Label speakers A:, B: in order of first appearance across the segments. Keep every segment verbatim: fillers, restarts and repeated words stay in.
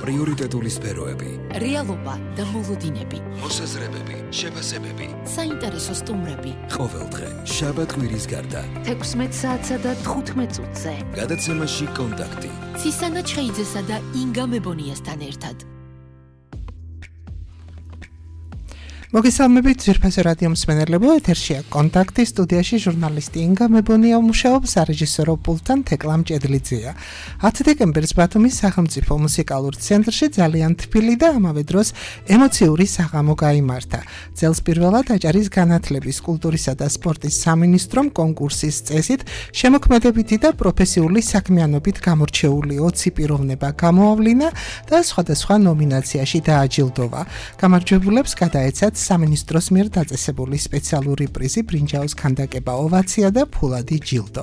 A: პრიორიტეტული სფეროები,
B: რეალობა და მოლოდინები,
A: მოსაზრებები, შეფასებები,
B: საინტერესო სტუმრები.
A: ყოველდღე, შაბათ-კვირის გარდა,
B: თექვსმეტ საათსა და თხუთმეტ წუთზე.
A: გადაცემაში კონტაქტი.
B: ცისანა ჩხეიძესა და ინგა მებონიასთან ერთად.
C: მოგესალმებით ძვირფასო რადიო მსმენელებო, ეთერშია კონტაქტი, სტუდიაში ჟურნალისტი ინგა მებონია მუშაობს, სარეჟისორო პულტთან თეკლა მჭედლიძეა. ათი დეკემბერს ბათუმის სახელმწიფო მუსიკალურ ცენტრში ძალიან თბილი და ამავე დროს ემოციური საღამო გაიმართა. წელს პირველად აჭარის განათლების, კულტურისა და სპორტის სამინისტრომ კონკურსის წესით შემოქმედებითი და პროფესიული საქმიანობით გამორჩეული ოცი პიროვნება გამოავლინა და სხვადასხვა ნომინაციაში დააჯილდოვა. გამარჯვებულებს გადაეცათ სამინისტროს მიერ დაწესებული სპეციალური პრიზი, ბრინჯაოს ქანდაკება, ოვაცია და ფულადი ჯილდო.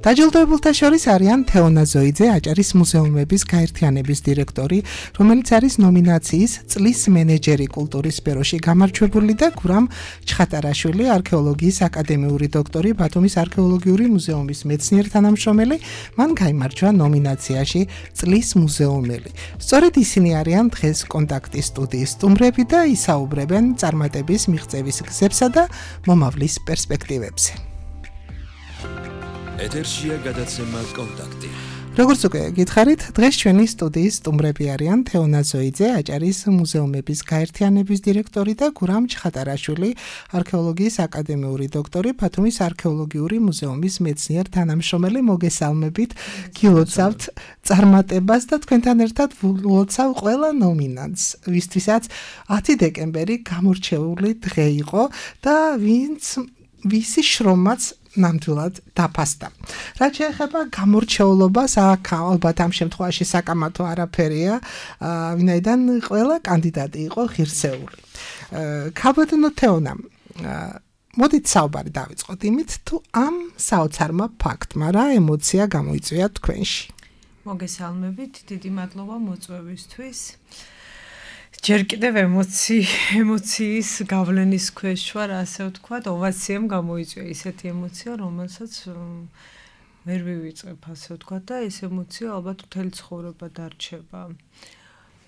C: დაჯილდოებულთა შორის არიან თეონა ზოიძე, აჭარის მუზეუმების გაერთიანების დირექტორი, რომელიც არის ნომინაციის წლის მენეჯერი კულტურის სფეროში გამარჯვებული და გურამ ჩხატარაშვილი, არქეოლოგიის აკადემიური დოქტორი, ბათუმის არქეოლოგიური მუზეუმის მეცნიერ-თანამშრომელი, მან გაიმარჯვა ნომინაციაში წლის მუზეუმელი. სწორედ ისინი არიან დღეს კონტაქტის სტუდიის სტუმრები და ისაუბრებენ წარმატების მიღწევის გზებსა და მომავლის პერსპექტივებზე.
A: ეთერშია გადაცემა კონტაქტი.
C: როგორც უკვე გითხარით, დღეს ჩვენი სტუდიის სტუმრები არიან თეონა ზოიძე, აჭარის მუზეუმების გაერთიანების დირექტორი და გურამ ჩხატარაშვილი, არქეოლოგიის აკადემიური დოქტორი, ბათუმის არქეოლოგიური მუზეუმის მეცნიერ-თანამშრომელი. მოგესალმებით, გილოცავთ წარმატებას და თქვენთან ერთად ვლოცავ ყველა ნომინანტს, ვისთვისაც ათი დეკემბერი გამორჩეული დღე იყო და ვინც ვისი შრომაც ნამდვილად დაფასდა. რაც შეეხება გამორჩეულობას, აქ ალბათ ამ შემთხვევაში საკამათო არაფერია, ვინაიდან ყველა კანდიდატი იყო ღირსეული. ქალბატონო თეონა, მოდით საუბარი დავიწყოთ იმით, თუ ამ საოცარმა ფაქტმა რა ემოცია გამოიწვია თქვენში.
D: მოგესალმებით, დიდი მადლობა მოწვევისთვის. ჯერ კიდევ ემოცი, ემოციის გავლენის ქვეშ ვარ, ასე ვთქვათ, ოვაციამ გამოიწვია ისეთი ემოცია, რომელსაც ვერ ვივიწყებ, ასე ვთქვათ, და ეს ემოცია ალბათ მთელი ცხოვრება დარჩება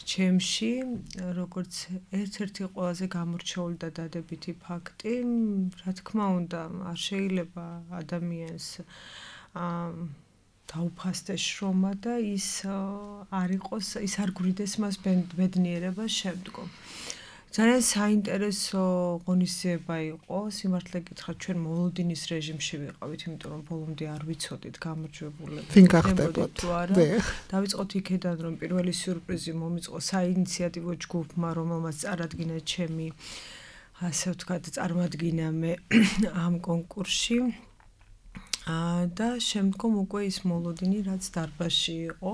D: ჩემში, როგორც ერთ-ერთი ყველაზე გამორჩეული და დადებითი ფაქტი. რა თქმა უნდა, არ შეიძლება ადამიანს დაუფასდეს შრომა და ის არ იყოს, ის არ გვრიდეს მას ბედნიერება შემდგომ. ძალიან საინტერესო ღონისძიება იყო, სიმართლე გითხრათ, ჩვენ მოლოდინის რეჟიმში ვიყავით, იმიტომ რომ ბოლომდე არ ვიცოდით გამარჯვებულები.
C: ვინ გახდებოდ?
D: დავიწყოთ იქედან, რომ პირველი სიურპრიზი მომიწყო საინიციატივო ჯგუფმა, რომელმაც წარადგინა ჩემი, ასე ვთქვათ, წარმადგინა მე ამ კონკურსში. და შემდგომ უკვე ის მოლოდინი, რაც დარბაზში იყო,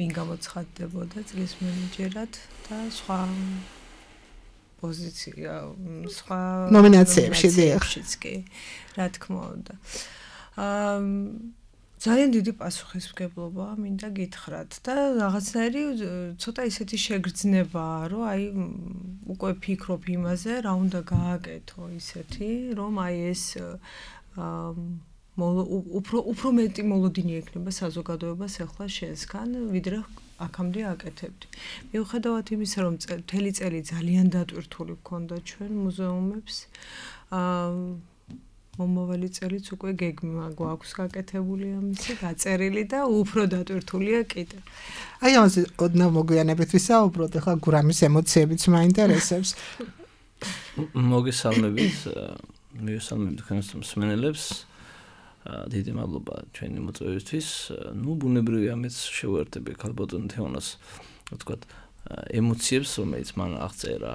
D: ვინ გამოცხადდებოდა წლის მენეჯერად და სხვა პოზიცია, სხვა
C: ნომინაციებშიც
D: კი, რა თქმა უნდა. ძალიან დიდი პასუხისმგებლობა მინდა გითხრათ და რაღაცნაირი ცოტა ისეთი შეგრძნებაა, რომ აი უკვე ფიქრობ იმაზე, რა უნდა გააკეთო ისეთი, რომ აი ეს უფრო უფრო მეტი მოლოდინი ექნება საზოგადოებას ახლა შენსგან, ვიდრე აქამდე აკეთებდი. მიუხედავად იმისა, რომ მთელი წელი ძალიან დატვირთული გქონდა ჩვენ მუზეუმებს, მომავალი წელიც უკვე გეგმა გვაქვს გაკეთებული ამისი, გაწერილი და უფრო დატვირთულია კიდე.
C: აი ამაზე ოდნავ მოგვიანებით ვისაუბროთ, ახლა გურამის ემოციებიც მაინტერესებს.
E: მოგესალმებით, მოგესალმებით თქვენს მსმენელებს. დიდი მადლობა ჩვენი მოწვევისთვის. ნუ ბუნებრივია მეც შევერთები ქალბატონ თეონას, ვთქვათ, ემოციებს, რომელიც მან აღწერა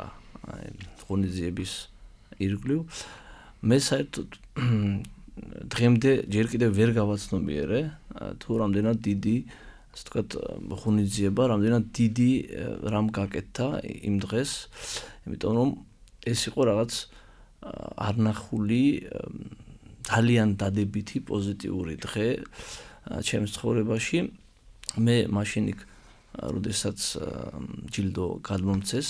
E: ღონისძიების ირგვლივ. მე საერთოდ დღემდე ჯერ კიდევ ვერ გავაცნობიერე, თუ რამდენად დიდი, ასე ვთქვათ, ღონისძიება, რამდენად დიდი რამ გაკეთდა იმ დღეს, იმიტომ რომ ეს იყო რაღაც არნახული ძალიან დადებითი პოზიტიური დღე ჩემს ცხოვრებაში. მე მაშინ იქ, როდესაც ჯილდო გადმომცეს,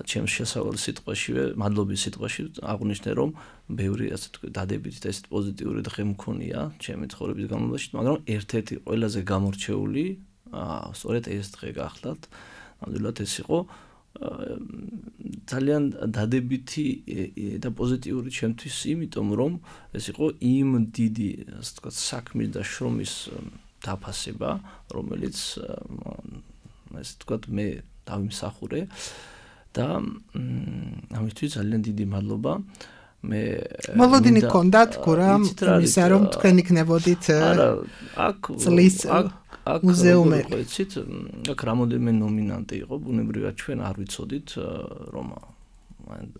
E: ჩემს შესავალ სიტყვაშივე, მადლობის სიტყვაში აღვნიშნე, რომ ბევრი ასე თქვა დადებითი და ესეთ პოზიტიური დღე მქონია ჩემი ცხოვრების განმავლობაში, მაგრამ ერთ-ერთი ყველაზე გამორჩეული სწორედ ეს დღე გახლავთ. ნამდვილად ეს იყო ძალიან დადებითი და პოზიტიური ჩემთვის, იმიტომ რომ ეს იყო იმ დიდი, ასე ვთქვათ, საქმის და შრომის დაფასება, რომელიც ასე ვთქვათ, მე დავიმსახურე და ამისთვის ძალიან დიდი მადლობა. მე
C: მოლოდინი გქონდათ გურამ იმისა რომ თქვენ იქნებოდით
E: არა აქ
C: წლის მუზეუმელი.
E: ვიცით, აქ რამოდენიმე ნომინანტი იყო, ბუნებრივად ჩვენ არ ვიცოდით რომ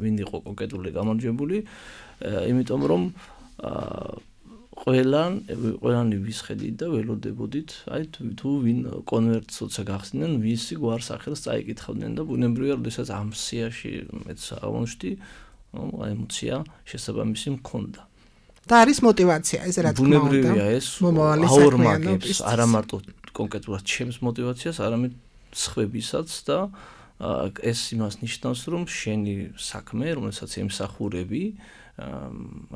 E: ვინ იყო კონკრეტული გამარჯვებული, იმიტომ რომ ყველან ყველანი ვისხედით და ველოდებოდით, აი თუ ვინ კონვერტს როცა გახსნიან, ვისი გვარსახელს წაიკითხავდნენ და ბუნებრივად როდესაც ამ სიაში მეც აღმოჩნდი, ემოცია შესაბამისი მქონდა.
C: და არის мотиваცია ეს რა თქმა უნდა.
E: ბუნებრივია ეს აორმაგებს არა მარტო კონკრეტულად ჩემს мотиваციას, არამედ სხვებისაც და ეს იმას ნიშნავს, რომ შენი საქმე, რომელსაც ემსახურები,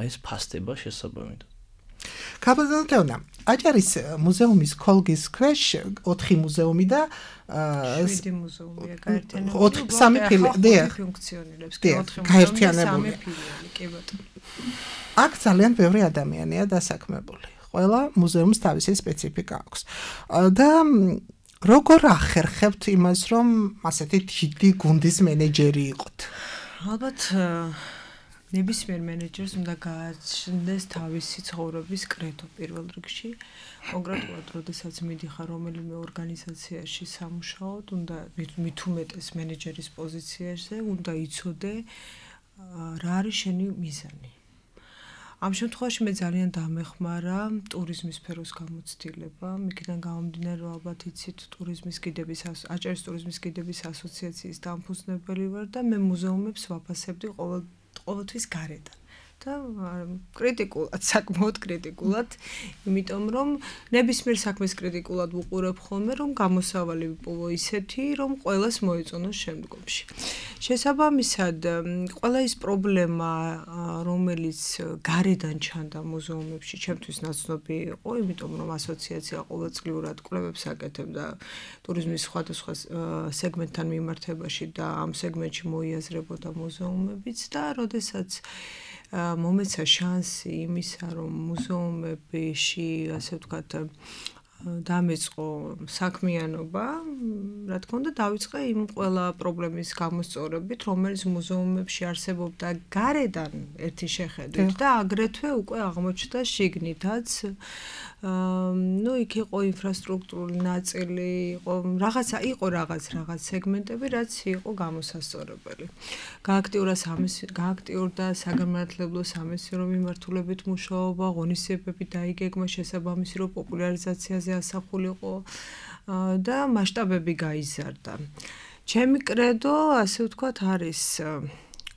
E: ეს ფასდება შესაბამით.
C: კაბაზონტეონა, აჭარის მუზეუმის ქოლგის ქვეშ ოთხი მუზეუმი და
D: შვიდი მუზეუმია გაერთიანებული.
C: ოთხი სამი ფილიალი
D: ფუნქციონირებს.
C: გაერთიანებული.
D: კი ბატონო.
C: აქ ძალიან ბევრი ადამიანია დასაქმებული. ყველა მუზეუმს თავისი სპეციფიკა აქვს. და როგორ ახერხებთ იმას, რომ ასეთი დიდი გუნდის მენეჯერი იყოთ?
D: ალბათ ნებისმიერ მენეჯერს უნდა გააჩნდეს თავისი ცხოვრების კრედო პირველ რიგში. კონკრეტულად, როდესაც მიდიხარ რომელიმე ორგანიზაციაში სამუშაოდ, უნდა მით უმეტეს მენეჯერის პოზიციაში, უნდა იცოდე რა არის შენი მიზანი. ამ შემთხვევაში მე ძალიან დამეხმარა ტურიზმის სფეროს გამოცდილება, მიქიდან გამომდინარე რომ ალბათ იცით ტურიზმის კიდების აჭარის ტურიზმის კიდების ასოციაციის დამფუძნებელი ვარ და მე მუზეუმებს ვაფასებდი ყოველ ყოველთვის გარედან და კრიტიკულად, საკმაოდ კრიტიკულად, იმიტომ რომ ნებისმიერ საქმეს კრიტიკულად ვუყურებ ხოლმე, რომ გამოსავალი ვიპოვო ისეთი, რომ ყველას მოეწონოს შემდგომში. შესაბამისად, ყველა ის პრობლემა, რომელიც გარედან ჩანდა მუზეუმებში, ჩემთვის ნაცნობი იყო, იმიტომ რომ ასოციაცია ყოველწლიურად კვლევებს აკეთებდა ტურიზმის სხვადასხვა სეგმენტთან მიმართებაში და ამ სეგმენტში მოიაზრებოდა მუზეუმებიც და როდესაც მომეცა შანსი იმისა, რომ მუზეუმებში, ასე ვთქვათ, დამეწყო საქმიანობა, რა თქმა უნდა, დავიწყე იმ ყველა პრობლემის გამოსწორებით, რომელიც მუზეუმებში არსებობდა გარედან ერთი შეხედვით და აგრეთვე უკვე აღმოჩნდა შიგნითაც. ნუ იქ იყო ინფრასტრუქტურული ნაწილი, იყო რაღაცა, იყო რაღაც რაღაც სეგმენტები, რაც იყო გამოსასწორებელი. გააქტიურდა გააქტიურდა საგანმანათლებლო სამეცნიერო მიმართულებით მუშაობა, ღონისძიებები დაიგეგმა შესაბამისი რო პოპულარიზაციაზე ასახულიყო და მასშტაბები გაიზარდა. ჩემი კრედო, ასე ვთქვათ, არის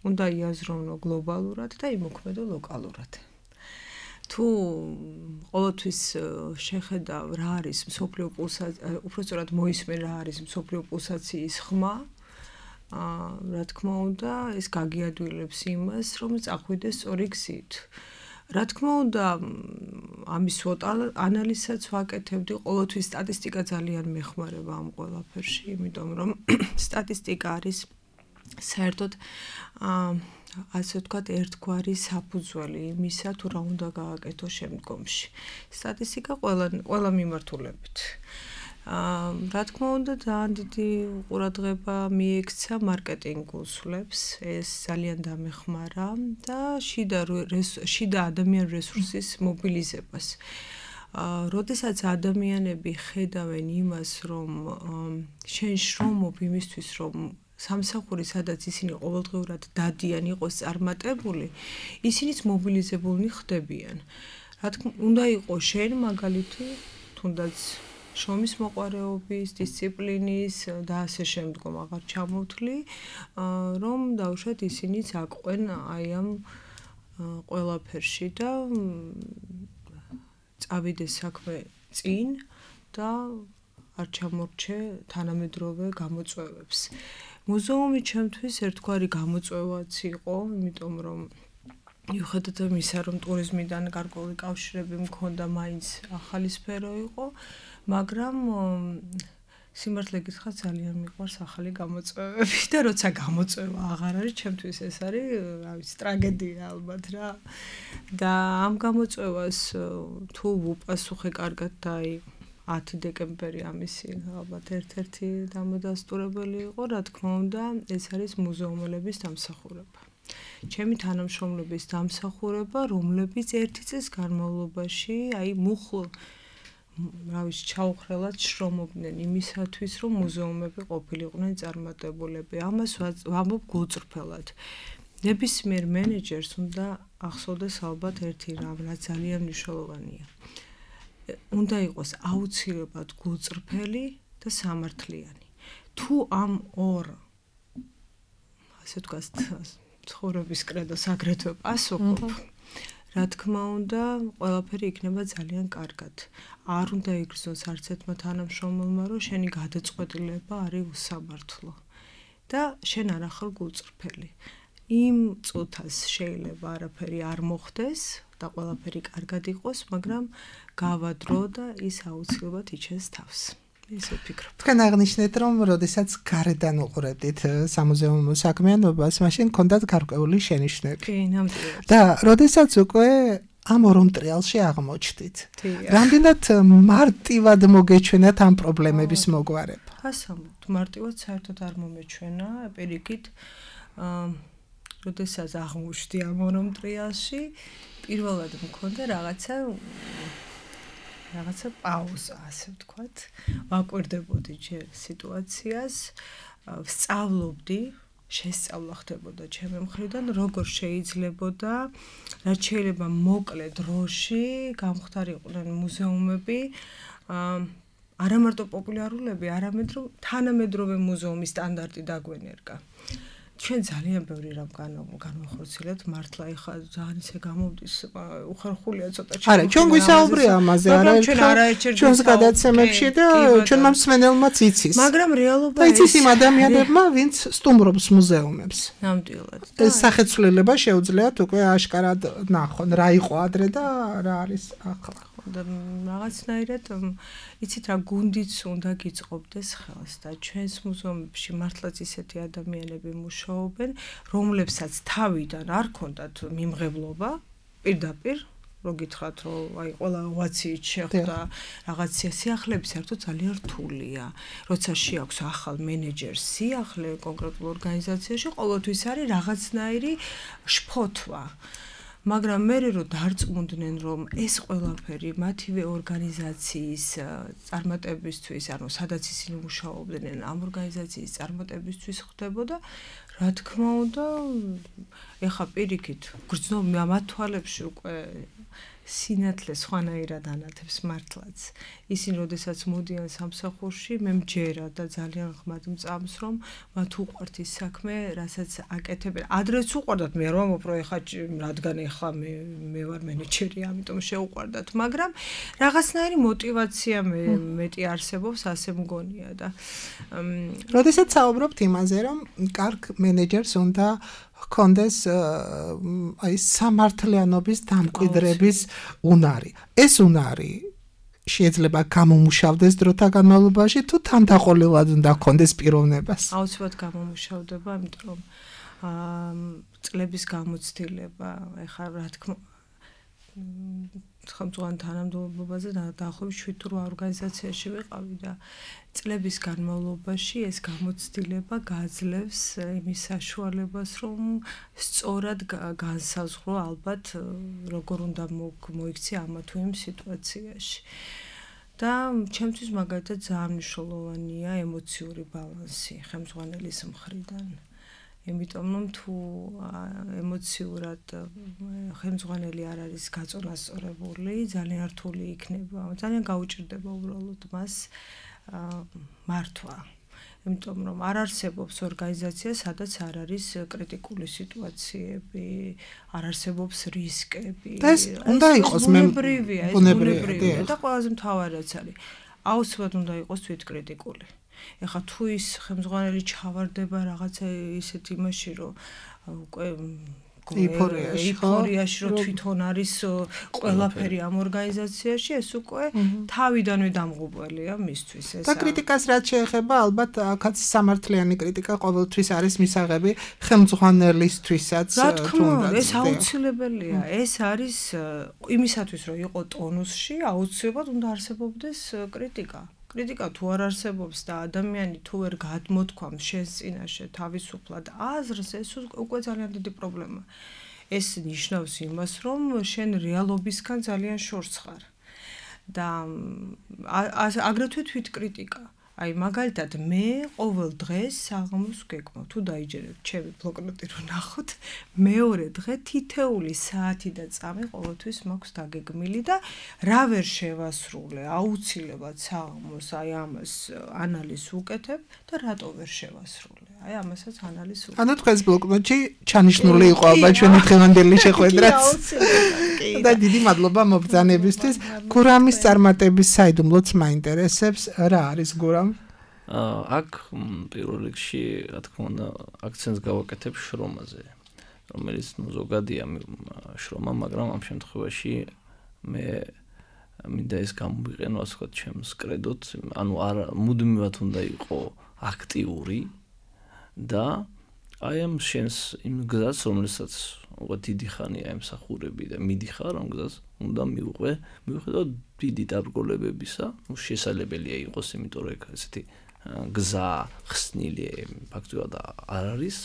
D: უნდა იაზროვნო გლობალურად და იმოქმედო ლოკალურად. თუ ყოველთვის შეხედავ რა არის მსოფლიო პულსაცია, უпростоრად მოისმენ რა არის მსოფლიო პულსაციის ხმა, რა თქმა უნდა, ეს გაგიადვილებს იმას, რომ წახვიდეს სწორი გზით. რა თქმა უნდა, ამის ანალიზსაც ვაკეთებდი, ყოველთვის სტატისტიკა ძალიან მეხმარება ამ ყველაფერში, იმიტომ რომ სტატისტიკა არის საერთოდ ასე ვთქვათ, ერთგვარი საფუძველი იმისა, თუ რა უნდა გააკეთო შემდგომში. სტატისტიკა ყველა ყველა მიმართულებით. რა თქმა უნდა, ძალიან დიდი ყურადღება მიექცა მარკეტინგულ სვლებს, ეს ძალიან დამეხმარა და შიდა შიდა ადამიანური რესურსის მობილიზებას. როდესაც ადამიანები ხედავენ იმას, რომ შენ შრომობ იმისთვის, რომ სამსახური, სადაც ისინი ყოველდღიურად დადიან, იყოს წარმატებული, ისინიც მობილიზებულნი ხდებიან. რა თქმა უნდა, იყოს შენ მაგალითი, თუნდაც შრომის მოყვარეობის, დისციპლინის და ასე შემდგომ აღარ ჩამოვთვლი, რომ დავუშვათ ისინიც აყვენ აი ამ ყველაფერში და წავიდეს საქმე წინ და არ ჩამორჩე თანამედროვე გამოწვევებს. მუზეუმი ჩემთვის ერთგვარი გამოწვევაც იყო, იმიტომ რომ მიუხედავად იმისა, რომ ტურიზმიდან გარკვეული კავშირები მქონდა, მაინც ახალი სფერო იყო, მაგრამ სიმართლე გითხრათ ძალიან მიყვარს ახალი გამოწვევები და როცა გამოწვევა აღარ არის, ჩემთვის ეს არის, რა ვიცი, ტრაგედია ალბათ რა. და ამ გამოწვევას თუ ვუპასუხე კარგად და აი ათი დეკემბერი ამისი ალბათ ერთ-ერთი დამადასტურებელი იყო, რა თქმა უნდა, ეს არის მუზეუმელების დამსახურება. ჩემი თანამშრომლების დამსახურება, რომლებიც ერთი წლის განმავლობაში, აი მუხლ რა ვიცი, ჩაუხრელად შრომობდნენ იმისათვის, რომ მუზეუმები ყოფილიყვნენ წარმატებულები. ამას ვამბობ გულწრფელად. ნებისმიერ მენეჯერს უნდა ახსოვდეს ალბათ ერთი რამ, რაც ძალიან მნიშვნელოვანია. უნდა იყოს აუცილებლად გულწრფელი და სამართლიანი. თუ ამ ორ ასე ვთქვათ, ცხოვრების კრედოს აგრეთვე პასუხობ, რა თქმა უნდა, ყველაფერი იქნება ძალიან კარგად. არ უნდა იგრძნოს არც ერთმა თანამშრომელმა, რომ შენი გადაწყვეტილება არის უსამართლო და შენ არ ახარ გულწრფელი. იმ წუთას შეიძლება არაფერი არ მოხდეს და ყველაფერი კარგად იყოს, მაგრამ გავა დრო და ის აუცილებლად იჩენს თავს. ესე ვფიქრობ.
C: თქვენ აღნიშნეთ, რომ როდესაც გარედან უყურებდით სამუზეუმო საქმიანობას, მაშინ ჰქონდათ გარკვეული შენიშვნები.
D: კი, ნამდვილად.
C: და როდესაც უკვე ამ ორ მტრიალში აღმოჩნდით. რამდენად მარტივად მოგეჩვენათ ამ პრობლემების მოგვარება?
D: ასამბლოდ მარტივად საერთოდ არ მომეჩვენა, პირიქით, აა როდესაც აღმოჩნდი ამ ორ მტრიალში, პირველად მქონდა რაღაცა რაღაცა პაუზა, ასე ვთქვათ. ვაკვირდებოდი ჯერ სიტუაციას, ვსწავლობდი, შესწავლა ხდებოდა ჩემი მხრიდან, როგორ შეიძლებოდა, რაც შეიძლება მოკლე დროში გამხდარიყვნენ მუზეუმები, არა მარტო პოპულარულები, არამედ რომ თანამედროვე მუზეუმის სტანდარტი დაგვენერგა. ჩვენ ძალიან ბევრი რამ განვახორციელებთ, მართლა ეხლა ძალიან ისე გამოვდის, უხერხულია ცოტა ჩემი.
C: არა, ჩვენ გვისაუბრია ამაზე, არა ერთხელ ჩვენს გადაცემებში და ჩვენმა მსმენელმაც იცის.
D: მაგრამ რეალობა
C: და იცის იმ ადამიანებმა, ვინც სტუმრობს მუზეუმებს.
D: ნამდვილად.
C: ეს სახეცვლილება შეუძლიათ უკვე აშკარად ნახონ, რა იყო ადრე და რა არის ახლა.
D: და რაღაცნაირად იცით რა, გუნდიც უნდა გიწყობდეს ხელს და ჩვენს მუზეუმებში მართლაც ისეთი ადამიანები მუშაობენ, რომლებსაც თავიდან არ ქონდათ მიმღებლობა პირდაპირ, რო გითხრათ, რომ აი ყველა ოვაციით შეხვდა რაღაცა სიახლეები საერთოდ ძალიან რთულია. როცა შეაქვს ახალ მენეჯერს სიახლე კონკრეტულ ორგანიზაციაში, ყოველთვის არის რაღაცნაირი შფოთვა. მაგრამ მე რო დარწმუნდნენ, რომ ეს ყველაფერი მათივე ორგანიზაციის წარმატებისთვის, ანუ სადაც ისინი მუშაობდნენ, ამ ორგანიზაციის წარმატებისთვის ხდებოდა, რა თქმა უნდა, ეხა პირიქით, გრძნობ მათ თვალებში უკვე სინათლე სხვანაირად ანათებს მართლაც. ისინი როდესაც მოდიან სამსახურში, მე მჯერა და ძალიან ღმად მწამს, რომ მათ უყვართ ის საქმე, რასაც აკეთებენ. ადრეც უყვარდათ, მე რომ უფრო ეხა რადგან ეხლა მე მე ვარ მენეჯერი, ამიტომ შეუყვარდათ, მაგრამ რაღაცნაირი мотиваცია მე მეტი არსებობს, ასე მგონია და
C: როდესაც საუბრობთ იმაზე, რომ კარგ მენეჯერს უნდა ჰქონდეს აი სამართლიანობის დამკვიდრების უნარი. ეს უნარი შეიძლება გამომუშავდეს დროთა განმავლობაში თუ თანდაყოლილად უნდა ჰქონდეს პიროვნებას?
D: აუცილებლად გამომუშავდება, იმიტომ რომ აა წლების გამოცდილება, ეხლა რა თქმა ხელმძღვანელ თანამდებობაზე დაახლოებით შვიდ რვა ორგანიზაციაში ვიყავი და წლების განმავლობაში ეს გამოცდილება გაძლევს იმის საშუალებას, რომ სწორად განსაზღვრო ალბათ როგორ უნდა მოიქცე ამა თუ იმ სიტუაციაში. და ჩემთვის მაგალითად ძალიან მნიშვნელოვანია ემოციური ბალანსი ხელმძღვანელის მხრიდან. იმიტომ რომ თუ ემოციურად ხელმძღვანელი არ არის გაწონასწორებული, ძალიან რთული იქნება, ძალიან გაუჭირდება უბრალოდ მას მართვა. იმიტომ რომ არ არსებობს ორგანიზაცია, სადაც არ არის კრიტიკული სიტუაციები, არ არსებობს რისკები.
C: ეს უნდა იყოს
D: ბუნებრივია, ეს ბუნებრივია და ყველაზე მთავარიც არის, აუცილებლად უნდა იყოს თვითკრიტიკული. ეხლა თუ ის ხელმძღვანელი ჩავარდება რაღაცა ისეთ იმაში, რომ უკვე ეიფორიაში რომ თვითონ არის ყველაფერი ამ ორგანიზაციაში, ეს უკვე თავიდანვე დამღუპველია მისთვის ეს.
C: და კრიტიკას რაც შეეხება, ალბათ აქაც სამართლიანი კრიტიკა ყოველთვის არის მისაღები ხელმძღვანელისთვისაც
D: თუნდაც. ეს აუცილებელია. ეს არის იმისათვის რომ იყო ტონუსში, აუცილებლად უნდა არსებობდეს კრიტიკა. კრიტიკა თუ არ არსებობს და ადამიანი თუ ვერ გადმოთქვამს შენს წინაშე თავისუფლად აზრს, ეს უკვე ძალიან დიდი პრობლემაა. ეს ნიშნავს იმას, რომ შენ რეალობისგან ძალიან შორს ხარ. და აგრეთვე თვითკრიტიკა. აი მაგალითად მე ყოველ დღეს საღამოს გეკმო თუ დაიჯერებ ჩემი ბლოკნოტი რომ ნახოთ მეორე დღე თითეული საათი და წამი ყოველთვის მაქვს დაგეგმილი და რა ვერ შევასრულე აუცილებლად საღამოს აი ამას ანალიზს ვუკეთებ და რატო ვერ შევასრულე აი ამასაც ანალიზს ვუკეთებ. ანუ თქვენს ბლოკნოტში ჩანიშნული იყო ალბათ ჩვენი დღევანდელი შეხვედრაც. და დიდი მადლობა მობრძანებისთვის. გურამის წარმატების საიდუმლოც მაინტერესებს რა არის გურამ?
E: აქ პირველ რიგში რა თქმა უნდა აქცენტს გავაკეთებ შრომაზე, რომელიც ნუ ზოგადია შრომა, მაგრამ ამ შემთხვევაში მე მინდა ეს გამოვიყენო ასე ვთქვათ ჩემს კრედოთ, ანუ არ მუდმივად უნდა იყო აქტიური და აი ამ შენს იმ გზას, რომელსაც უკვე დიდი ხანია ემსახურები და მიდიხარ ამ გზას, უნდა მივყვე, მივხვდე დიდი დაბრკოლებებისა, ნუ შესაძლებელია იყოს, იმიტომ რომ ესეთი გზა ხსნილი ფაქტობრივად არ არის.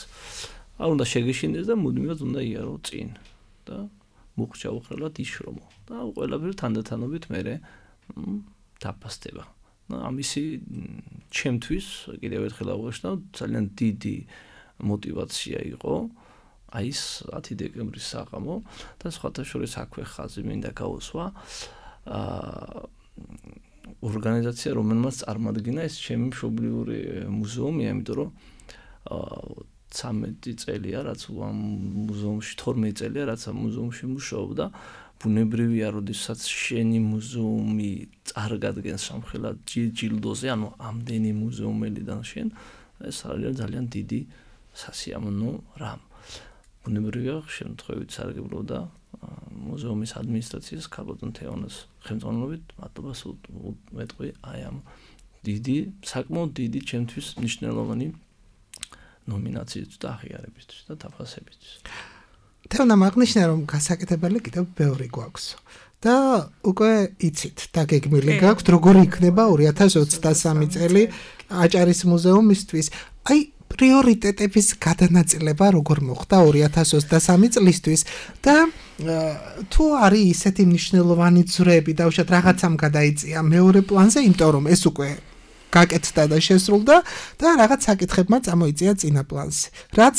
E: არ უნდა შეგეშინდეს და მუდმივად უნდა იარო წინ და მუხჭაო ხელად იშრომო და ყველაფერი თანდათანობით მე დაფასდება. და ამისი ჩემთვის კიდევ ერთხელ აღვნიშნავ, ძალიან დიდი мотивация იყო აი ეს ათი დეკემბრის საღამო და სხვათა შორის აქვე ხაზი მინდა გაუსვა აა ორგანიზაცია, რომელმაც წარმადგინა ეს ჩემი მშობლიური მუზეუმი, იმიტომ რომ ცამეტი წელია, რაც ამ მუზეუმში თორმეტი წელია, რაც ამ მუზეუმში მუშაობდა. ბუნებრივია, როდესაც შენი მუზეუმი წარგადგენს სამხელად ჯილდოზე, ანუ ამდენი მუზეუმელიდან შენ, ეს არის ძალიან დიდი სასიამოვნო რამ. ბუნებრივია, შემთხვევით სარგებლობდა მუზეუმის ადმინისტრაციას ქალბატონ თეონას ხელმძღვანელობით, მადლობას ვეტყვი აი ამ დიდი, საკმაოდ დიდი ჩემთვის მნიშვნელოვანი ნომინაციისთვის და აღიარებისთვის და დაფასებისთვის.
C: თეონამ აღნიშნა, რომ გასაკეთებელი კიდევ ბევრი გვაქვს და უკვე იცით, დაგეგმილი გაქვთ, როგორ იქნება ორი ათას ოცდასამი წელი აჭარის მუზეუმისთვის. აი პრიორიტეტების გადანაწილება როგორ მოხდა ორი ათას ოცდასამი წლისთვის და თუ არის ისეთი მნიშვნელოვანი ძვრები და უშუალოდ რაღაცამ გადაიწია მეორე პლანზე, იმიტომ რომ ეს უკვე გაკეთდა და შესრულდა და რაღაც საკითხებმა წამოიწია წინა პლანზე. რაც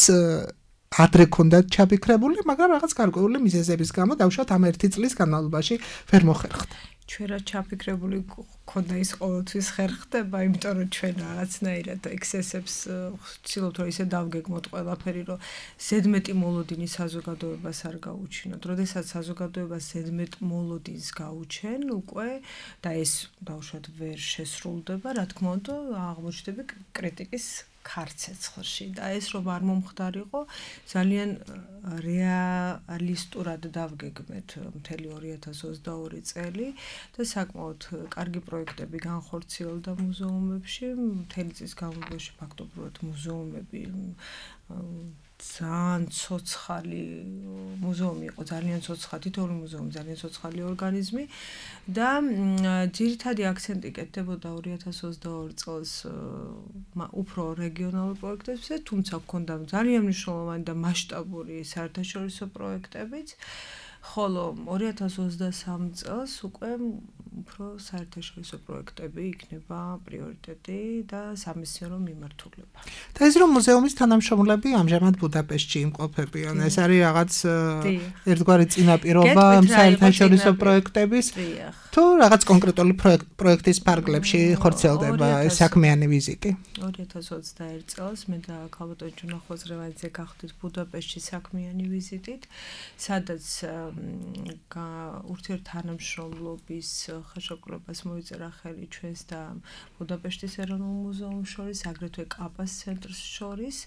C: ადრე ქონდათ ჩაფიქრებული, მაგრამ რაღაც გარკვეული მიზეზების გამო დაუშვათ ამ ერთი წლის განმავლობაში ვერ მოხერხდა. ჩვენ რა
D: ჩაფიქრებული ქონდა ის ყოველთვის ხერხდება, იმიტომ რომ ჩვენ რაღაცნაირად ექსესებს ვცდილობთ რომ ისე დავგეგმოთ ყველაფერი, რომ ზედმეტი მოლოდინის საზოგადოებას არ გაუჩინოთ. როდესაც საზოგადოებას ზედმეტ მოლოდინს გაუჩენ უკვე და ეს დაუშვათ ვერ შესრულდება, რა თქმა უნდა, აღმოჩნდება კრიტიკის ქარცეცხლში და ეს რომ არ მომხდარიყო, ძალიან რეალისტურად დავგეგმეთ მთელი ორი ათას ოცდაორი წელი და საკმაოდ კარგი პროექტები განხორციელდა მუზეუმებში, მთელი წლის განმავლობაში ფაქტობრივად მუზეუმები ძალიან ცოცხალი მუზეუმი იყო, ძალიან ცოცხალი, თითოეული მუზეუმი ძალიან ცოცხალი ორგანიზმი და ძირითადი აქცენტი კეთდებოდა ორი ათას ოცდაორი წელს უფრო რეგიონალურ პროექტებზე, თუმცა ჰქონდა ძალიან მნიშვნელოვანი და მასშტაბური საერთაშორისო პროექტებიც, ხოლო ორი ათას ოცდასამი წელს უკვე უფრო საერთაშორისო პროექტები იქნება პრიორიტეტი და სამეცნიერო მიმართულება. და ეს რომ მუზეუმის თანამშრომლები ამჟამად ბუდაპეშტში იმყოფებიან, ეს არის რაღაც ერთგვარი წინაპირობა საერთაშორისო პროექტების თუ რაღაც კონკრეტული პროექტის ფარგლებში ხორციელდება საქმიანი ვიზიტი. ორი ათას ოცდაერთი წელს მე და ქალბატონ ჯუნა ხვაზრევაძე გავხდით ბუდაპეშტში საქმიანი ვიზიტით, სადაც ურთიერთთანამშრომლობის ხელშეკრულებას მოიწერა ხელი ჩვენს და ბუდაპეშტის ეროვნულ მუზეუმს შორის, აგრეთვე კაპას ცენტრს შორის.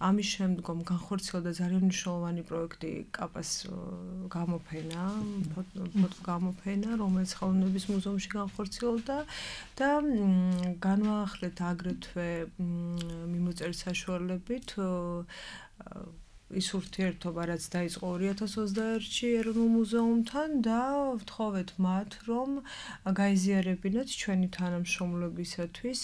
D: ამის შემდგომ განხორციელდა ძალიან მნიშვნელოვანი პროექტი კაპას გამოფენა, ფოტო გამოფენა, რომელიც ხელოვნების მუზეუმში განხორციელდა და განვაახლეთ აგრეთვე მიმოწერის საშუალებით ის ურთიერთობა, რაც დაიწყო ორი ათას ოცდაერთში ეროვნულ მუზეუმთან და ვთხოვეთ მათ, რომ გაიზიარებინათ ჩვენი თანამშრომლობისათვის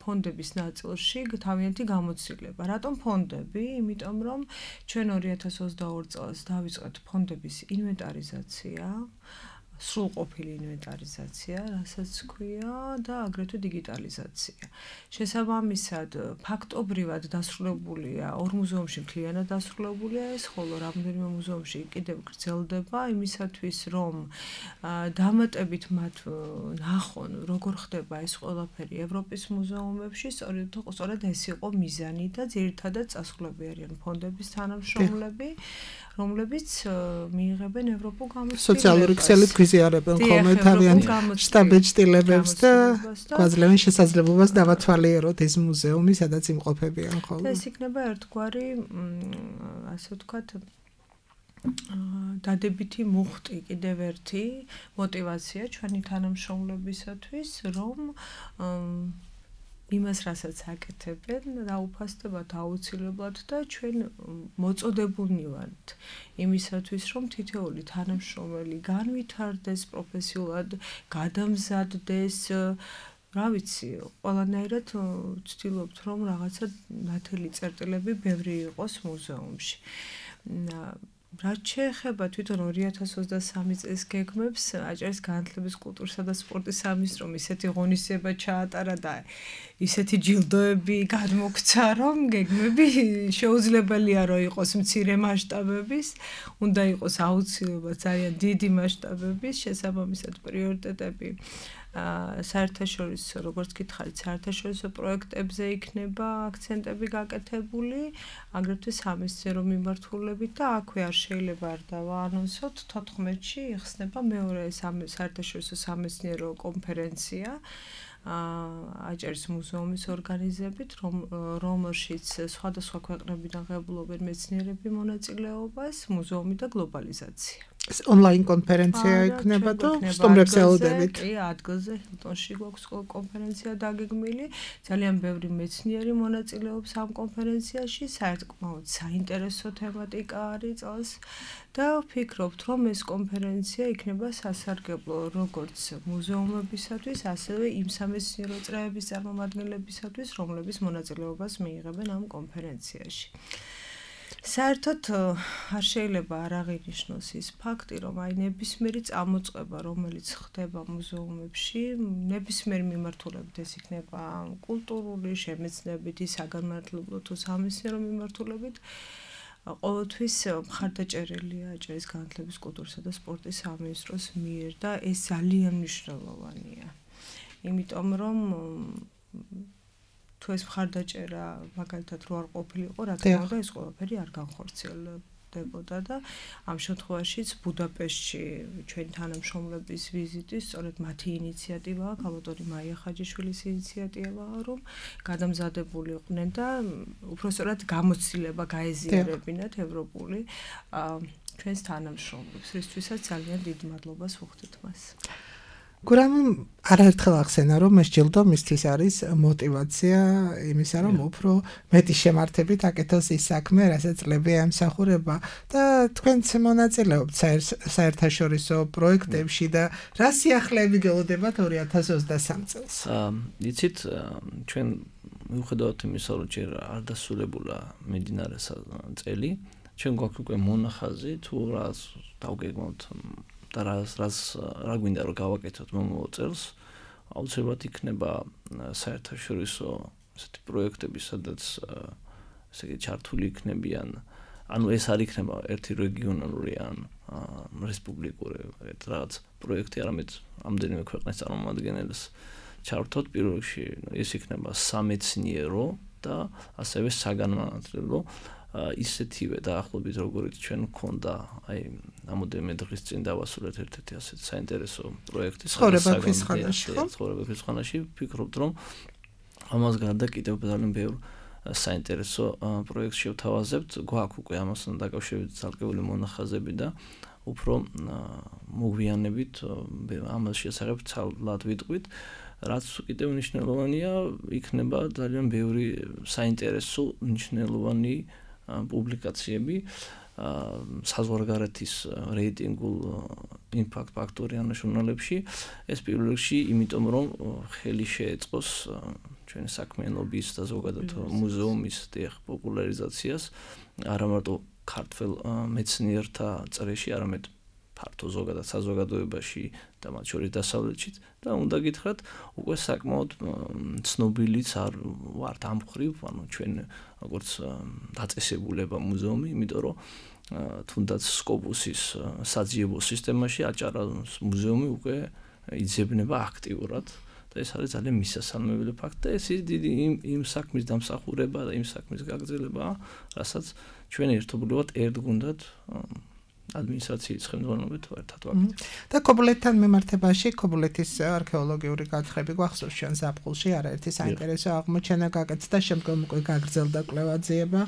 D: ფონდების ნაწილში თავიანთი გამოცდილება. რატომ ფონდები? იმიტომ რომ ჩვენ ორი ათას ოცდაორი წელს დავიწყეთ ფონდების ინვენტარიზაცია, სრულყოფილი ინვენტარიზაცია, რასაც ქვია და აგრეთვე დიგიტალიზაცია. შესაბამისად, ფაქტობრივად დასრულებულია ორ მუზეუმში მთლიანად დასრულებულია ეს, ხოლო რამდენიმე მუზეუმში კიდევ გრძელდება იმისათვის, რომ დამატებით მათ ნახონ, როგორ ხდება ეს ყველაფერი ევროპის მუზეუმებში, სწორედ ეს იყო მიზანი და ძირითადად წასვლები არიან ფონდების თანამშრომლები, რომლებიც მიიღებენ ევროპულ გამოცდილებას.
C: სოციალური ქსელით გვიზიარებენ ხოლმე თავიანთ შტაბ-ეჭდილებებს და გვაძლევენ შესაძლებლობას დავათვალიეროთ ეს მუზეუმი, სადაც იმყოფებიან ხოლმე.
D: ეს იქნება ერთგვარი, ასე ვთქვათ, დადებითი მუხტი, კიდევ ერთი мотиваცია ჩვენი თანამშრომლებისათვის, რომ იმას, რასაც აკეთებენ, დაუფასდებათ აუცილებლად და ჩვენ მოწოდებულნი ვართ იმისათვის, რომ თითოეული თანამშრომელი განვითარდეს პროფესიულად, გადამზადდეს, რა ვიცი, ყველანაირად ვცდილობთ, რომ რაღაცა ნათელი წერტილები ბევრი იყოს მუზეუმში. რაც შეეხება თვითონ ორი ათას ოცდასამი წლის გეგმებს, აჭარის განათლების, კულტურისა და სპორტის სამინისტრომ ისეთი ღონისძიება ჩაატარა და ისეთი ჯილდოები გადმოგვცა, რომ გეგმები შეუძლებელია რომ იყოს მცირე მასშტაბების, უნდა იყოს აუცილებლად ძალიან დიდი მასშტაბების, შესაბამისად პრიორიტეტები საერთაშორისო, როგორც გითხარით, საერთაშორისო პროექტებზე იქნება აქცენტები გაკეთებული, აგრეთვე სამეცნიერო მიმართულებით და აქვე არ შეიძლება არ დავაანონსოთ, თოთხმეტში იხსნება მეორე საერთაშორისო სამეცნიერო კონფერენცია აჭარის მუზეუმის ორგანიზებით, რომელშიც სხვადასხვა ქვეყნებიდან ღებულობენ მეცნიერები მონაწილეობას, მუზეუმი და გლობალიზაცია.
C: ონლაინ კონფერენცია იქნება და სტუმრებს ელოდებით.
D: კი, ადგილზე ჰილტონში გვაქვს კონფერენცია დაგეგმილი. ძალიან ბევრი მეცნიერი მონაწილეობს ამ კონფერენციაში, საერთოდ საინტერესო თემატიკა არის წელს და ვფიქრობთ, რომ ეს კონფერენცია იქნება სასარგებლო როგორც მუზეუმებისათვის, ასევე იმ სამეცნიერო წრეების წარმომადგენლებისათვის, რომლებიც მონაწილეობას მიიღებენ ამ კონფერენციაში. საერთოდ არ შეიძლება არ აღინიშნოს ის ფაქტი, რომ აი ნებისმიერი წამოწყება, რომელიც ხდება მუზეუმებში, ნებისმიერ მიმართულებით ეს იქნება კულტურული, შემეცნებითი, საგანმანათლებლო თუ სამეცნიერო მიმართულებით, ყოველთვის მხარდაჭერილია აჭარის განათლების, კულტურისა და სპორტის სამინისტროს მიერ და ეს ძალიან მნიშვნელოვანია. იმიტომ რომ თუ ეს მხარდაჭერა მაგალითად რო არ ყოფილიყო, რა თქმა უნდა ეს ყველაფერი არ განხორციელებდებოდა და ამ შემთხვევაშიც ბუდაპეშტში ჩვენი თანამშრომლების ვიზიტი სწორედ მათი ინიციატივაა, ქალბატონი მაია ხაჯიშვილის ინიციატივაა, რომ გადამზადებულიყვნენ და უпростоრად გამოცდილება გაეზიარებინათ ევროპული ჩვენს თანამშრომლებს, რისთვისაც ძალიან დიდ მადლობას ვუხდით მას.
C: გურამ არაერთხელ ახსენა, რომ ეს ჯილდო მისთვის არის мотиваცია იმისა, რომ უფრო მეტი შემართებით აკეთოს ის საქმე, რასაც წლებია ემსახურება და თქვენც მონაწილეობთ საერთაშორისო პროექტებში და რა სიახლეები გელოდებათ ორი ათას ოცდასამ წელს?
E: იცით, ჩვენ მიუხედავად იმისა, რომ ჯერ არ დასრულებულა მიმდინარე წელი, ჩვენ გვაქვს უკვე მონახაზი თუ რას დავგეგმოთ და რას რას რა გვინდა რომ გავაკეთოთ მომავალ წელს, აუცილებლად იქნება საერთაშორისო ესეთი პროექტები, სადაც ესე იგი ჩართული იქნებიან, ანუ ეს არ იქნება ერთი რეგიონალური ან რესპუბლიკური რაღაც პროექტი, არამედ ამდენიმე ქვეყნის წარმომადგენელს ჩართოთ. პირველ რიგში ეს იქნება სამეცნიერო და ასევე საგანმანათლებლო ისეთივე დაახლოებით როგორიც ჩვენ გქონდა აი ამოდენმე დღის წინ დავასრულეთ ერთ-ერთი ასეთ საინტერესო პროექტი
C: ცხოვრება ქვისხანაში.
E: ცხოვრება ქვისხანაში. ვფიქრობთ, რომ ამას გარდა კიდევ ძალიან ბევრ საინტერესო პროექტს შევთავაზებთ. გვაქვს უკვე ამასთან დაკავშირებით ცალკეული მონახაზები და უფრო მოგვიანებით ამას შესახებ ცალად ვიტყვით. რაც კიდევ მნიშვნელოვანია, იქნება ძალიან ბევრი საინტერესო მნიშვნელოვანი პუბლიკაციები საზღვარგარეთის რეიტინგულ იმპაქტ ფაქტორიან ჟურნალებში. ეს პირველ რიგში, იმიტომ რომ ხელი შეეწყოს ჩვენი საქმიანობის და ზოგადად მუზეუმის პოპულარიზაციას, არა მარტო ქართველ მეცნიერთა წრეში, არამედ ფართო ზოგადად საზოგადოებაში და მათ შორის დასავლეთშიც და უნდა გითხრათ, უკვე საკმაოდ ცნობილიც არ ვართ ამ მხრივ, ანუ ჩვენ როგორც დაწესებულება მუზეუმი, იმიტომ რომ თუნდაც სკოპუსის საძიებო სისტემაში აჭარას მუზეუმი უკვე იძებნება აქტიურად და ეს არის ძალიან მისასალმებელი ფაქტი და ეს დიდი იმ იმ საქმის დამსახურება და იმ საქმის გაგრძელებაა, რასაც ჩვენ ერთობლივად ერთ გუნდად ადმინისტრაციის ხელმძღვანელობით ერთად ვაკეთებთ.
C: და ქობულეთთან მიმართებაში ქობულეთის არქეოლოგიური გათხრები გვახსოვს ჩვენ ზაფხულში არაერთი საინტერესო აღმოჩენა გაკეთდა და შემდგომ უკვე გაგრძელდა კვლევაძიება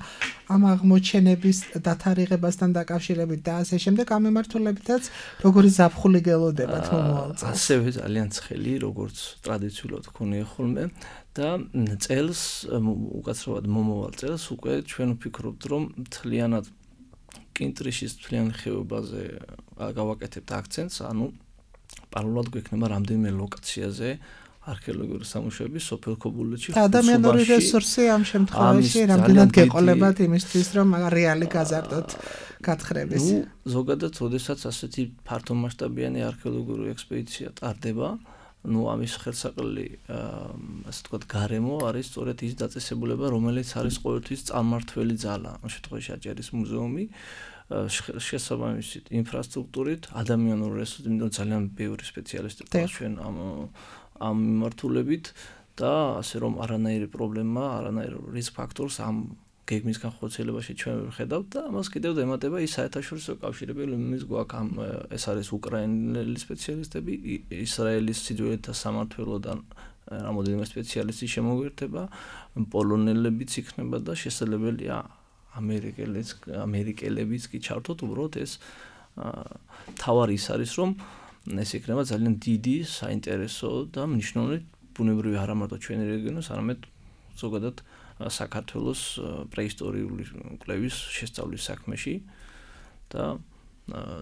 C: ამ აღმოჩენების დათარიღებასთან დაკავშირებით და ასე შემდეგ ამ მიმართულებითაც როგორი ზაფხული გელოდებათ მომავალ წელს.
E: ასევე ძალიან ცხელი, როგორც ტრადიციულად გქონია ხოლმე და წელს უკაცრავად მომავალ წელს უკვე ჩვენ ვფიქრობთ რომ მთლიანად კინტრიშის მთლიან ხეობაზე გავაკეთებთ აქცენტს, ანუ პარალელურად გვექნება რამდენიმე ლოკაციაზე არქეოლოგიური სამუშაოები სოფელ ქობულეთში.
C: და ადამიანური რესურსი ამ შემთხვევაში რამდენად გეყოლებათ იმისთვის, რომ რეალი გაზარდოთ გათხრების.
E: ნუ ზოგადად, ოდესაც ასეთი ფართომასშტაბიანი არქეოლოგიური ექსპედიცია ტარდება, ნუ ამის ხელსაყრელი, ასე ვთქვათ, გარემო არის სწორედ ის დაწესებულება, რომელიც არის ყოველთვის წარმმართველი ძალა, ამ შემთხვევაში აჭარის მუზეუმი, შესაბამისით ინფრასტრუქტურით, ადამიანურ რესურსით, იმიტომ ძალიან ბევრი სპეციალისტი ყავს ჩვენ ამ ამ მიმართულებით და ასე რომ არანაირი პრობლემა, არანაირი რისკ ფაქტორს ამ გეგმის განხორციელებაში ჩვენ ვხედავთ და ამას კიდევ ემატება ის საერთაშორისო კავშირები, რომელიც გვაქვს ამ ეს არის უკრაინელი სპეციალისტები, ისრაელის სიძველეთა სამმართველოდან რამოდენიმე სპეციალისტი შემოგვერთება, პოლონელებიც იქნება და შესაძლებელია ამერიკელებს ამერიკელებიც კი ჩართოთ, უბრალოდ ეს თავარი ის არის, რომ ეს იქნება ძალიან დიდი, საინტერესო და მნიშვნელოვანი ბუნებრივი არა მარტო ჩვენი რეგიონის, არამედ ზოგადად საქართველოს პრეისტორიული კვლევის შესწავლის საქმეში და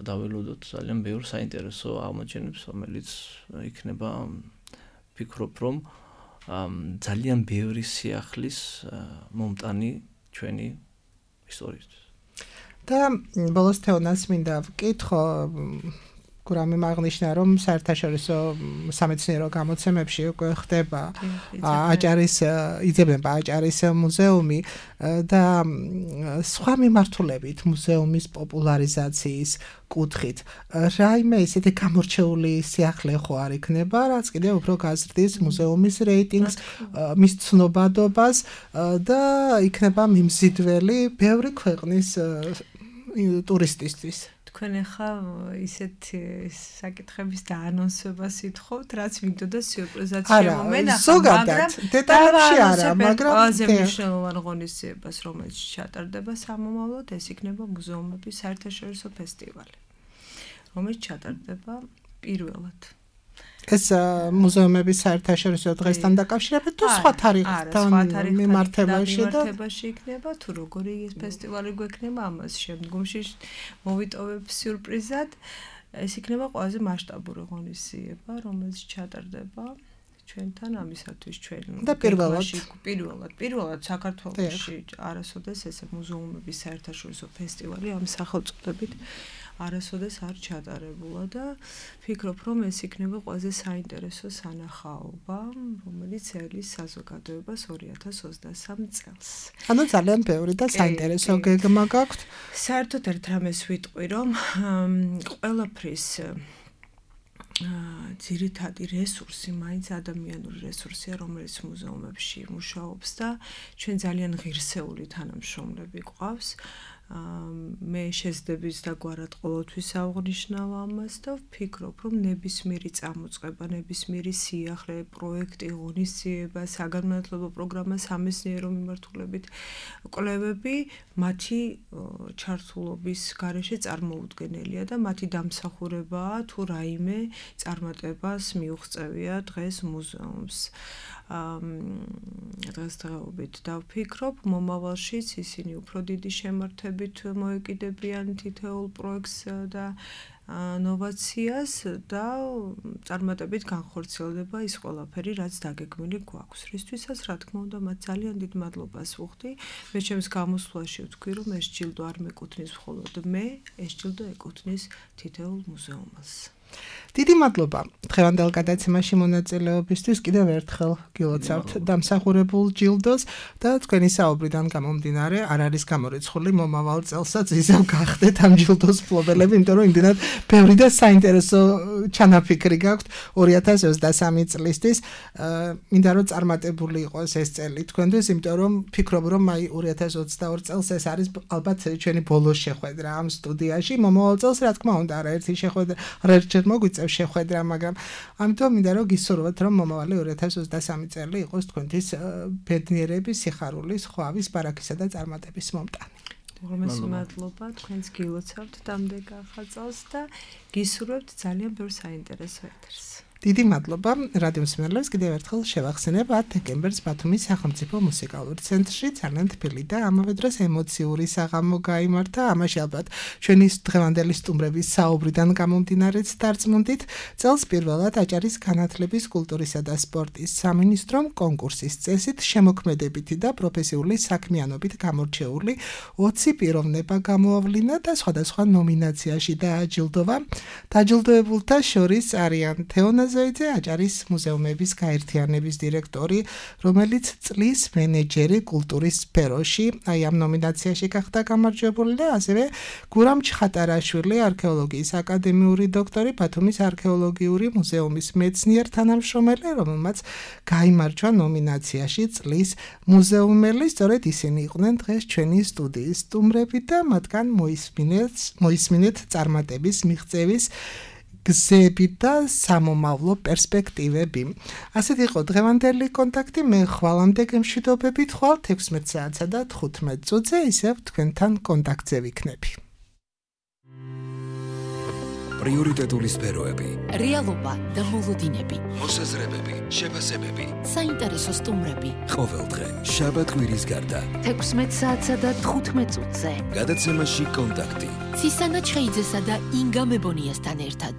E: დაველოდოთ ძალიან ბევრ საინტერესო აღმოჩენებს, რომელიც იქნება ვფიქრობ, რომ ძალიან ბევრი სიახლის მომტანი ჩვენი ისტორიისთვის.
C: და ბოლოს თეონას მინდა ვკითხო, კურამი აღნიშნა, რომ საერთაშორისო სამეცნიერო გამოცემებში უკვე ხდება აჭარის იძებნება აჭარის მუზეუმი და სხვა მიმართულებით მუზეუმის პოპულარიზაციის კუთხით. რაიმე ისეთი გამორჩეული სიახლე ხო არ იქნება, რაც კიდევ უფრო გაზრდის მუზეუმის რეიტინგს, მის ცნობადობას და იქნება მიმზიდველი ბევრი ქვეყნის ტურისტისთვის.
D: თქვენ ახლა ისეთ საკითხების დაანონსებას ითხოვთ, რაც მიგდოდა სიურპრიზად შემომენახა,
C: ზოგადად დეტალებში არა, მაგრამ
D: ყველაზე მნიშვნელოვან ღონისძიებას, რომელიც ჩატარდება სამომავლოდ, ეს იქნება მუზეუმების საერთაშორისო ფესტივალი, რომელიც ჩატარდება პირველად.
C: ეს მუზეუმების საერთაშორისო დღესთან დაკავშირებით თუ სხვა თარიღთან მიმართებაში და
D: მიმართებაში იქნება, თუ როგორი ეს ფესტივალი გვექნება, ამას შემდგომში მოვიტოვებ სიურპრიზად. ეს იქნება ყველაზე მასშტაბური ღონისძიება, რომელიც ჩატარდება ჩვენთან ამისათვის ჩვენ
C: და პირველად
D: პირველად პირველად საქართველოში არასოდეს ესე მუზეუმების საერთაშორისო ფესტივალი ამ სახელწოდებით არასოდეს არ ჩატარებულა და ვფიქრობ, რომ ეს იქნება ყველაზე საინტერესო სანახაობა, რომელიც ელის საზოგადოებას ორი ათას ოცდასამ წელს.
C: ანუ ძალიან ბევრი და საინტერესო გეგმა გაქვთ.
D: საერთოდ ერთ რამეს ვიტყვი, რომ ყველაფრის ძირითადი რესურსი მაინც ადამიანური რესურსია, რომელიც მუზეუმებში მუშაობს და ჩვენ ძალიან ღირსეული თანამშრომლები გვყავს, მე შეძდების დაგვარად ყოველთვის აღვნიშნავ ამას და ვფიქრობ, რომ ნებისმიერი წამოწყება, ნებისმიერი სიახლე, პროექტი, ღონისძიება, საგანმანათლებლო პროგრამა, სამეცნიერო მიმართულებით კვლევები მათი ჩართულობის გარეშე წარმოუდგენელია და მათი დამსახურებაა თუ რაიმე წარმატებას მიუღწევია დღეს მუზეუმს. დღესდღეობით დავფიქრობ, მომავალშიც ისინი უფრო დიდი შემართებით მოეკიდებიან თითოეულ პროექტს და ნოვაციას და წარმატებით განხორციელდება ის ყველაფერი, რაც დაგეგმილი გვაქვს. რისთვისაც, რა თქმა უნდა, მათ ძალიან დიდ მადლობას ვუხდი. მე ჩემს გამოსვლაში ვთქვი, რომ ეს ჯილდო არ მეკუთვნის მხოლოდ მე, ეს ჯილდო ეკუთვნის თითოეულ მუზეუმს.
C: დიდი მადლობა დღევანდელ გადაცემაში მონაწილეობისთვის. კიდევ ერთხელ გილოცავთ დამსახურებულ ჯილდოს და თქვენი საუბრიდან გამომდინარე არ არის გამორიცხული მომავალ წელსაც ისევ გახდეთ ამ ჯილდოს მფლობელები, იმიტომ რომ იმდენად ბევრი და საინტერესო ჩანაფიქრი გაქვთ ორი ათას ოცდასამი წლისთვის. მინდა რომ წარმატებული იყოს ეს წელი თქვენთვის, იმიტომ რომ ფიქრობ რომ აი ორი ათას ოცდაორი წელს ეს არის ალბათ ჩვენი ბოლო შეხვედრა ამ სტუდიაში. მომავალ წელს რა თქმა უნდა არაერთი შეხვედრა არაერთჯერ მოგვიწევს შეხვედრა, მაგრამ ამიტომ მინდა რომ გისურვოთ, რომ მომავალი ორი ათას ოცდასამი წელი იყოს თქვენთვის ბედნიერების, სიხარულის, ხვავის, ბარაქისა და წარმატების მომტანი.
D: უღრმესი მადლობა, თქვენს გილოცავთ დამდეგ ახალ წელს და გისურვებთ ძალიან ბევრ საინტერესო ეთერს.
C: დიდი მადლობა რადიო მსმენელებს. კიდევ ერთხელ შევახსენებ ათ დეკემბერს ბათუმის სახელმწიფო მუსიკალური ცენტრში ძალიან თბილი და ამავე დროს ემოციური საღამო გაიმართა. ამაში ალბათ ჩვენი დღევანდელი სტუმრების საუბრიდან გამომდინარეც დარწმუნდით. წელს პირველად აჭარის განათლების, კულტურისა და სპორტის სამინისტრომ კონკურსის წესით შემოქმედებითი და პროფესიული საქმიანობით გამორჩეული ოცი პიროვნება გამოავლინა და სხვადასხვა ნომინაციაში დააჯილდოვა. დაჯილდოებულთა შორის არიან თეონა ზოიძე, აჭარის მუზეუმების გაერთიანების დირექტორი, რომელიც წლის მენეჯერი კულტურის სფეროში, აი ამ ნომინაციაში გახდა გამარჯვებული და ასევე გურამ ჩხატარაშვილი, არქეოლოგიის აკადემიური დოქტორი, ბათუმის არქეოლოგიური მუზეუმის მეცნიერ თანამშრომელი, რომელმაც გაიმარჯვა ნომინაციაში წლის მუზეუმელი. სწორედ ისინი იყვნენ დღეს ჩვენი სტუდიის სტუმრები და მათგან მოისმინეთ მოისმინეთ წარმატების მიღწევის გზები და სამომავლო პერსპექტივები. ასეთ იყო დღევანდელი კონტაქტი. მე ხვალამდე გემშვიდობებით ხვალ ექვსმეტ საათსა და თხუთმეტ წუთზე ისევ თქვენთან კონტაქტზე ვიქნები.
A: პრიორიტეტული სფეროები,
B: რეალობა და მოლოდინები,
A: მოსაზრებები, შეფასებები,
B: საინტერესო სტუმრები.
A: ყოველდღე შაბათ-კვირის გარდა
B: ექვსმეტ საათსა და თხუთმეტ წუთზე.
A: გადაცემაში კონტაქტი.
B: ცისანა ჩხეიძესა და ინგა მებონიასთან ერთად.